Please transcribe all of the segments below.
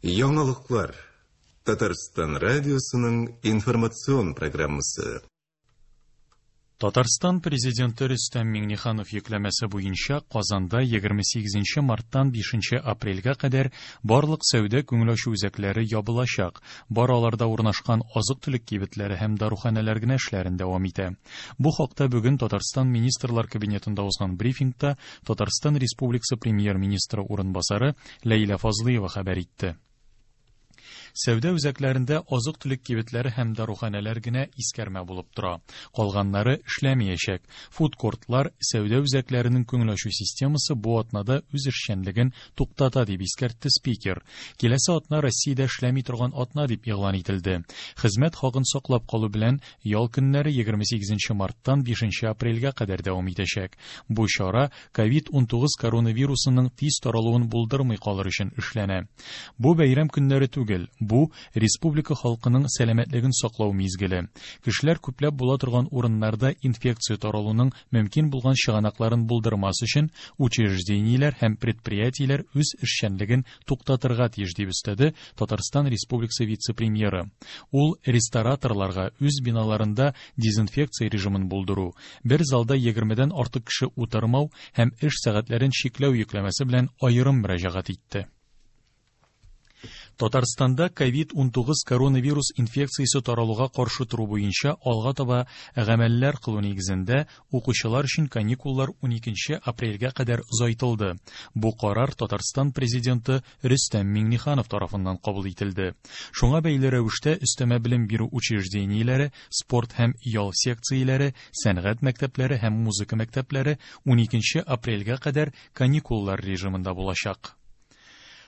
Яңалыклар. Татарстан радиосының информацион программасы. Татарстан Президенты Рөстәм Миңнеханов йөкләмәсе буенча Казанда 28 марттан 5 апрельгә кадәр барлык сәүдә күңел ачу үзәкләре ябылачак. Бар аларда урнашкан азык-төлек кибетләре һәм даруханәләр генә эшләрен дәвам итә. Бу хакта бүген Татарстан Министрлар Кабинетында узган брифингта Татарстан Республикасы Премьер-министры урынбасары Ләйлә Фазлыева хәбәр итте. Сәүдә үзәкләрендә азык-төлек кибетләре һәм даруханәләр генә искәрмә булып тора. Калганнары эшләмәячәк. Фудкортлар, сәүдә үзәкләренең күңел ачу системасы бу атнада үз эшчәнлеген туктата, дип искәртте спикер. Киләсе атна Россиядә эшләми торган атна дип игълан ителде. Хезмәт хакын саклап калу белән ял көннәре 28 марттан 5 апрельгә кадәр дәвам итәчәк. Бу чара COVID-19 коронавирусының тиз таралуын булдырмый калыр өчен эшләнә. Бу бәйрәм көннәре түгел, бу республика халкының сәламәтлеген саклау мизгеле. Кешеләр күпләп була торган урыннарда инфекция таралуның мөмкин булган чыганакларын булдырмас өчен учреждениеләр һәм предприятиеләр үз эшчәнлеген туктатырга тиеш, дип өстәде Татарстан Республикасы вице-премьеры. Ул рестораторларга үз биналарында дезинфекция режимын булдыру, бер залда 20-дән артык кеше утырмау һәм эш сәгатьләрен чикләү йөкләмәсе белән аерым мөрәҗәгать итте. Татарстанда COVID-19 коронавирус инфекциясе таралуга каршы тору буенча алга таба гамәлләр кылу нигезендә укучылар өчен каникуллар 12 апрельгә кадәр озайтылды. Бу карар Татарстан президенты Рөстәм Миңнеханов тарафыннан кабул ителде. Шуңа бәйле рәвештә өстәмә белем бирү учреждениеләре, спорт һәм ял секцияләре, сәнгать мәктәпләре һәм музыка мәктәпләре 12 апрельгә кадәр каникуллар режимында булачак.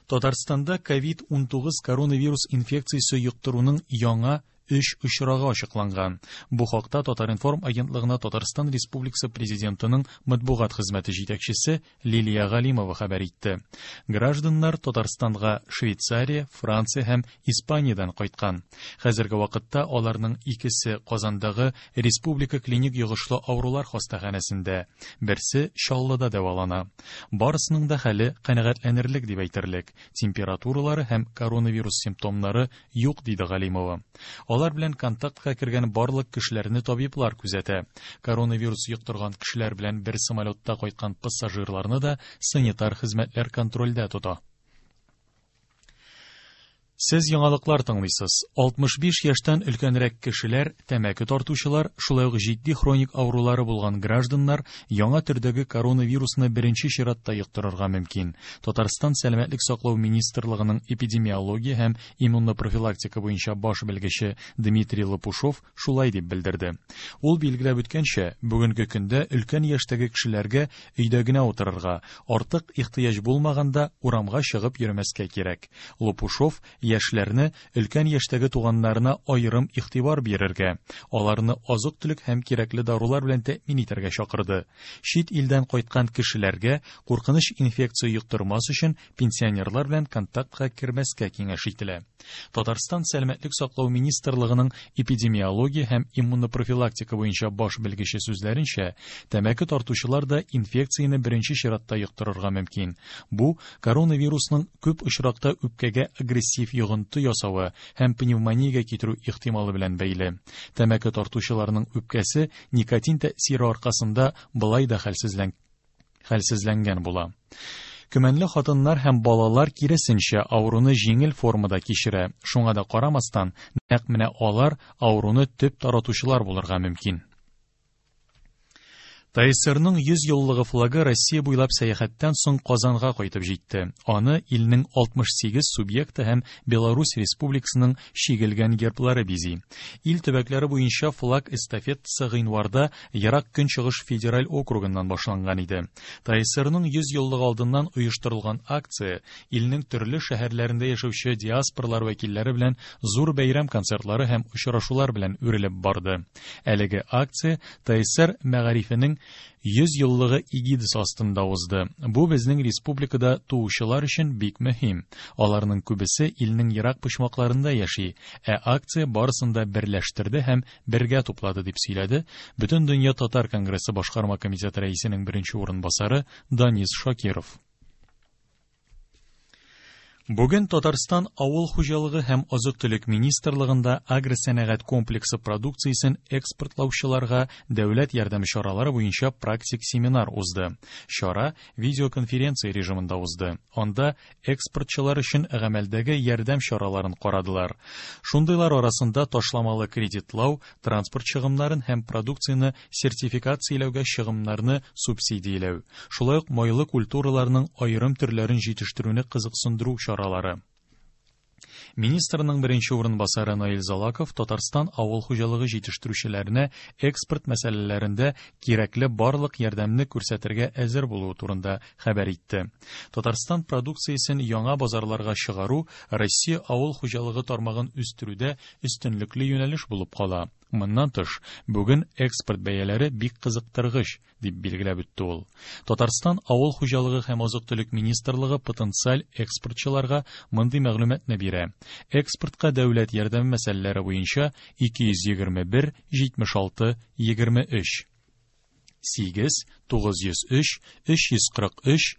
Татарстанда COVID-19 коронавирус инфекциясе йоктыруның яңа 3 очрагы ачыкланган. Бу хакта Татар-информ агентлыгына Татарстан Республикасы Президентының матбугат хезмәте җитәкчесе Лилия Галимова хәбәр итте. Гражданнар Татарстанга Швейцария, Франция һәм Испаниядән кайткан. Хәзерге вакытта аларның икесе Казандагы Республика клиник йогышлы авырулар хастаханәсендә, берсе Чаллыда дәвалана. Барысының да хәле канәгатьләнерлек дип әйтерлек. Температуралары һәм коронавирус симптомнары юк, диде Галимова. Алар белән контактка кергән барлык кешеләрне табиблар күзәтә. Коронавирус йоктырган кешеләр белән бер самолетта кайткан пассажирларны да санитар хезмәтләр контрольдә тота. Сез яңалыклар тыңлыйсыз. 65 яшьтән өлкәнрәк кешеләр, тәмәке тартучылар, шулай ук җитди хроник авырулары булган гражданнар яңа төрдәге коронавирусны беренче чиратта йоктырырга мөмкин. Татарстан Сәламәтлек саклау министрлыгының эпидемиология һәм иммунопрофилактика буенча баш белгече Дмитрий Лопушов шулай дип белдерде. Ул билгеләп үткәнчә, бүгенге көндә өлкән яшьтәге кешеләргә өйдә генә утырырга, артык ихтыяҗ булмаганда урамга чыгып йөрмәскә кирәк. Лопушов яшьләрне өлкән яшьтәге туганнарына аерым игътибар бирергә, аларны азык-төлек һәм кирәкле дарулар белән тәэмин итәргә чакырды. Чит илдән кайткан кешеләргә куркыныч инфекция йоктырмас өчен пенсионерлар белән контактка кермәскә киңәш ителә. Татарстан Сәламәтлек саклау министрлыгының эпидемиология һәм иммунопрофилактика буенча баш белгече сүзләренчә, тәмәке тартучылар да инфекцияне беренче чиратта йоктырырга мөмкин. Бу коронавирусның күп очракта үпкәгә агрессив йогынты ясавы һәм пневмониягә китерү ихтималы белән бәйле. Тәмәке тартучыларның үпкәсе никотин тәэсире аркасында былай да хәлсезләнгән була. Көмәнле хатыннар һәм балалар киресенчә авыруны җиңел формада кичерә. Шуңа да карамастан, нәкъ менә алар авыруны төп таратучылар булырга мөмкин. ТАССРның 100 еллыгы флагы Россия буйлап сәяхәттән соң Казанга кайтып җитте. Аны илнең 68 субъекты һәм Беларусь Республикасының чигелгән герблары бизи. Ил төбәкләре буенча флаг эстафетасы гыйнварда Ерак Көнчыгыш федераль округыннан башланган иде. ТАССРның 100 еллыгы алдыннан оештырылган акция илнең төрле шәһәрләрендә яшәүче диаспоралар вәкилләре белән зур бәйрәм концертлары һәм очрашулар белән үрелеп барды. Әлеге акция ТАССР мәгарифенең 100 еллыгы эгидасы астында узды. Бу безнең республикада туучылар өчен бик мөһим. Аларның күбесе илнең ерак почмакларында яши, ә акция барысын да берләштерде һәм бергә туплады, дип сөйләде Бөтендөнья татар конгрессы башкарма комитеты рәисенең беренче урынбасары Данис Шакиров. Бүген Татарстан Авыл хуҗалыгы һәм азык-төлек министрлыгында агросәнәгать комплексы продукциясен экспортлаучыларга дәүләт ярдәме чаралары буенча практик семинар узды. Чара видеоконференция режимында узды. Анда экспортчылар өчен гамәлдәге ярдәм чараларын карадылар. Шундыйлар арасында ташламалы кредитлау, транспорт чыгымнарын һәм продукцияне сертификацияләүгә чыгымнарны субсидияләү, шулай ук майлы культураларның аерым төрләрен җитештерүне кызыксындыру чаралары. Министрның беренче урынбасары Наил Залаков Татарстан авыл хуҗалыгы җитештерүчеләренә экспорт мәсьәләләрендә кирәкле барлык ярдәмне күрсәтергә әзер булуы турында хәбәр итте. Татарстан продукциясен яңа базарларга чыгару Россия авыл хуҗалыгы тармагын үстерүдә өстенлекле юнәлеш булып кала. Моннан тыш, бүген экспорт бәяләре бик кызыктыргыч, дип билгеләп үтте ул. Татарстан Авыл хуҗалыгы һәм азык-төлек министрлыгы потенциаль экспортчыларга мондый мәгълүматны бирә. Экспортка дәүләт ярдәме мәсьәләләре буенча 221 76 23 8 903 343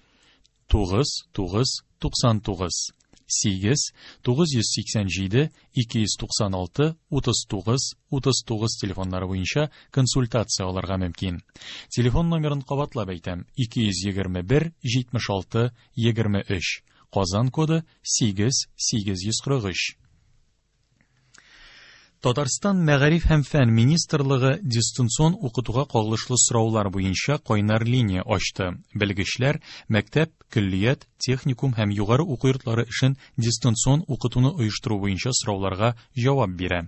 9 9 99 8 987 296 39 39 телефоннары буенча консультация алырга мөмкин. Телефон номерын кабатлап әйтәм: 221 76 23. Казан коды 8 843. Татарстан Мәгариф һәм фән министрлыгы дистанцион укытуга кагылышлы сораулар буенча кайнар линия ачты. Белгечләр мәктәп, көллият, техникум һәм югары уку йортлары эшен дистанцион укытуны оештыру буенча сорауларга җавап бирә.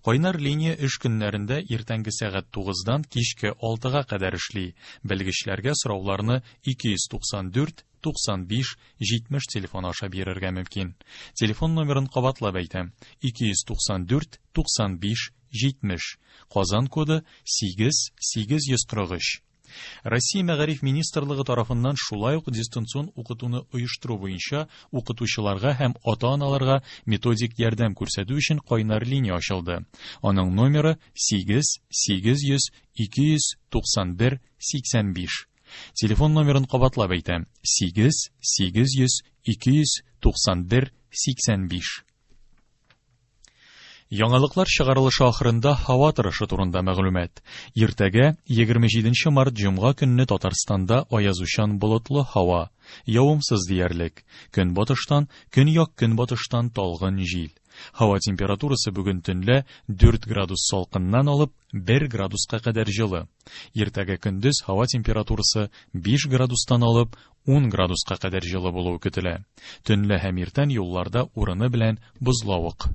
Кайнар линия эш көннәрендә иртәнге сәгать 9-дан кичке 6-га кадәр эшли. Белгечләргә сорауларны 294 95 70 телефоны аша бирергә мөмкин. Телефон номерын кабатлап әйтәм: 294 95 70. Казан коды 8 843. Россия Мәгариф министрлыгы тарафыннан шулай ук дистанцион укытуны оештыру буенча укытучыларга һәм ата-аналарга методик ярдәм күрсәтү өчен кайнар линия ачылды. Аның номеры 8 800 291 85. Телефон номерын кабатлап әйтәм: 8 800 291 85. Яңалыклар чыгарылышы ахырында һава торышы турында мәгълүмат. Иртәгә 27 март җомга көнне Татарстанда аязучан болытлы һава, явымсыз диярлек. Көнбатыштан, көньяк-көнбатыштан талгын җил. Һава температурасы бүген төнлә 4 градус салкыннан алып 1 градуска кадәр җылы. Иртәгә көндез һава температурасы 5 градустан алып 10 градуска кадәр җылы булуы көтелә. Төнлә һәм иртән юлларда урыны белән бозлавык.